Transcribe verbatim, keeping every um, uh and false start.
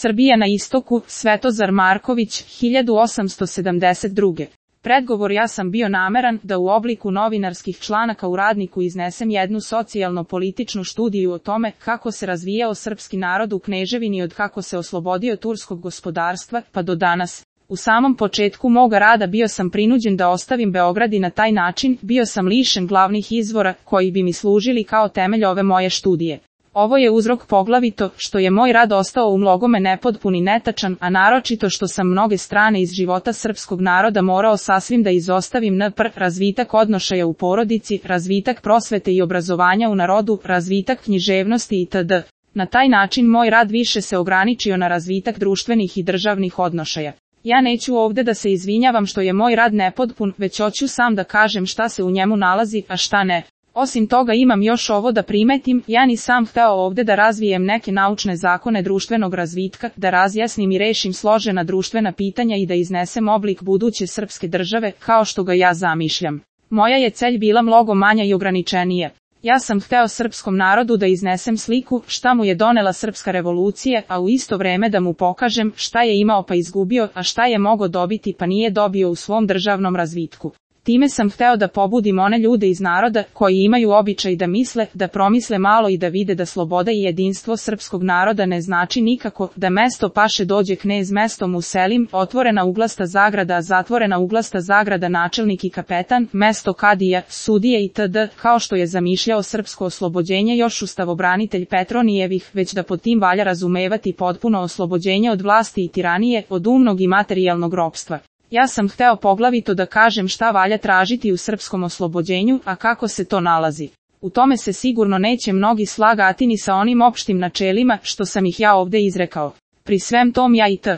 Srbija na istoku, Svetozar Marković, hiljadu osamsto sedamdeset druge. Predgovor: ja sam bio nameran da u obliku novinarskih članaka u Radniku iznesem jednu socijalno-političnu studiju o tome kako se razvijao srpski narod u kneževini od kako se oslobodio turskog gospodarstva, pa do danas. U samom početku moga rada bio sam prinuđen da ostavim Beograd i na taj način bio sam lišen glavnih izvora koji bi mi služili kao temelj ove moje studije. Ovo je uzrok poglavito što je moj rad ostao u mnogome nepotpun i netačan, a naročito što sam mnoge strane iz života srpskog naroda morao sasvim da izostavim, npr. razvitak odnošaja u porodici, razvitak prosvete i obrazovanja u narodu, razvitak književnosti itd. Na taj način moj rad više se ograničio na razvitak društvenih i državnih odnošaja. Ja neću ovde da se izvinjavam što je moj rad nepotpun, već hoću sam da kažem šta se u njemu nalazi, a šta ne. Osim toga imam još ovo da primetim, ja nisam hteo ovde da razvijem neke naučne zakone društvenog razvitka, da razjasnim i rešim složena društvena pitanja i da iznesem oblik buduće srpske države, kao što ga ja zamišljam. Moja je celj bila mnogo manja i ograničenija. Ja sam hteo srpskom narodu da iznesem sliku šta mu je donela srpska revolucija, a u isto vreme da mu pokažem šta je imao pa izgubio, a šta je mogao dobiti pa nije dobio u svom državnom razvitku. Time sam hteo da pobudim one ljude iz naroda koji imaju običaj da misle, da promisle malo i da vide da sloboda i jedinstvo srpskog naroda ne znači nikako da mesto paše dođe knez mestom uselim, otvorena uglasta zagrada, zatvorena uglasta zagrada, načelnik i kapetan, mesto kadija, sudije itd. Kao što je zamišljao srpsko oslobođenje još ustavobranitelj Petronijevih, već da pod tim valja razumevati potpuno oslobođenje od vlasti i tiranije, od umnog i materijalnog ropstva. Ja sam hteo poglavito da kažem šta valja tražiti u srpskom oslobođenju, a kako se to nalazi. U tome se sigurno neće mnogi slagati ni sa onim opštim načelima što sam ih ja ovde izrekao. Pri svem tom ja i t.